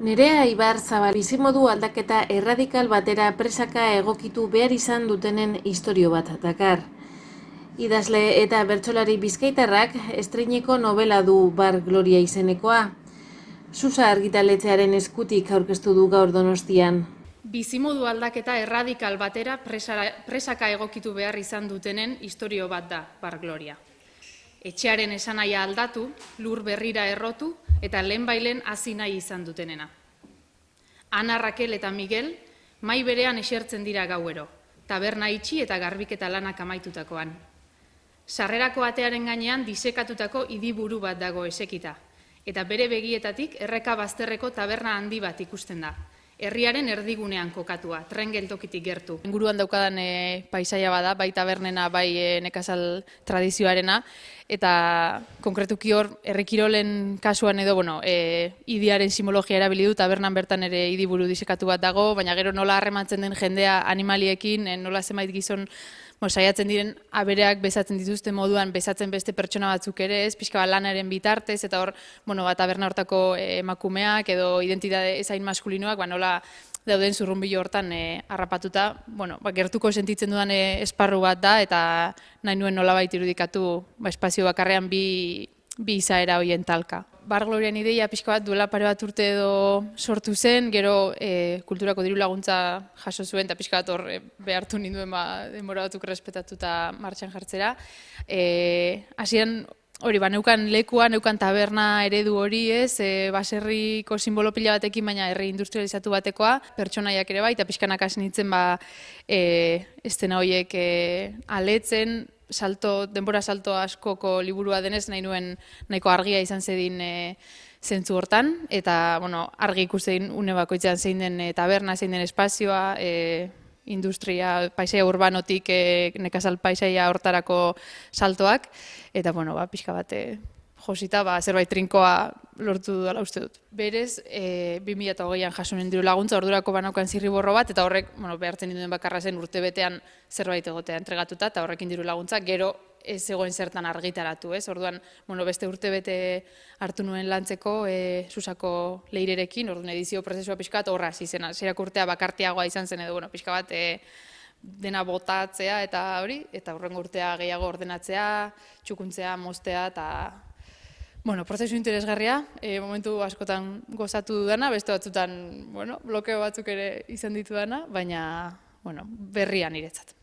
Nerea Ibarzabal bizimodu aldaketa erradikal batera presaka egokitu behar izan dutenen istorio bat dakar. Idazle eta bertsolari bizkaitarrak estreineko novela du Bar Gloria izenekoa. Susa argitaletxearen eskutik aurkeztu du gaur Donostian. Bizimodu aldaketa erradikal batera presaka egokitu behar izan dutenen istorio bat da Bar Gloria. Etxearen esanaia aldatu, lur berrira errotu eta lehenbailen hasi nahi izan dutenena. Ana, Rakel eta Miguel mai berean esertzen dira gauero, taberna itxi eta garbiketa lanak amaitutakoan. Sarrerako atearen gainean disekatutako idiburu bat dago esekita, eta bere begietatik erreka bazterreko taberna handi bat ikusten da. Herriaren erdigunean kokatua, tren geltokitik gertu. Inguruan daukadan paisaia bada, bai tabernena, bai nekazal tradizioarena, eta konkretuki hor, herri kirolen kasuan edo, idiaren simologia erabili du, tabernan bertan ere idiburu disekatu bat dago, baina gero nola harremantzen den jendea animaliekin, nola zenbait gizon saiatzen diren abereak bezatzen dituzte moduan, bezatzen beste pertsona batzuk ere ez, pixka bat lanaren bitartez, eta hor, taberna hortako emakumeak edo identitate ezain maskulinoak, nola dauden zurrunbilo hortan harrapatuta, gertuko sentitzen dudan esparru bat da, eta nahi nuen nolabait irudikatu espazio bakarrean bi izaera horien talka. Bar Glorian ideia pixka bat duela pare bat urte edo sortu zen, gero kulturako diru laguntza jaso zuen, eta pixka bat hor behartu ninduen denbora batzuk respetatuta martxan jartzera. Hasieran hori, neukan lekua, neukan taberna eredu hori ez, baserriko simbolo pila batekin, baina herri industrializatu batekoa, pertsonaiak ere bai, eta pixkanak hasi nintzen estena horiek aletzen, denbora salto askoko liburua denez, nahi nuen nahiko argia izan zedin zentzu hortan, eta argi ikusten une bakoitzean zein den taberna, zein den espazioa, industria, paisaia urbanotik nekazal paisaia hortarako saltoak, eta pixka bat josita, zerbait trinkoa lortu dudala uste dut. Berez, 2008an jasunen diru laguntza, ordurako banaukan zirriborro bat, eta horrek behartzen ninduen bakarra zen urtebetean zerbait egotea entregatuta, eta horrekin diru laguntza, gero ez zegoen zertan argitaratu, ez? Orduan, beste urtebete hartu nuen lantzeko Susako leirerekin, orduan edizio prozesua pixka bat horra hasi zen, hasierak urtea bakartiagoa izan zen edo, pixka bat dena botatzea eta hori, eta hurrengo urtea gehiago ordenatzea, txukuntzea, moztea, eta prozesu interesgarria, momentu askotan gozatu dudana, beste batzutan blokeo batzuk ere izan ditu dana, baina berria niretzat.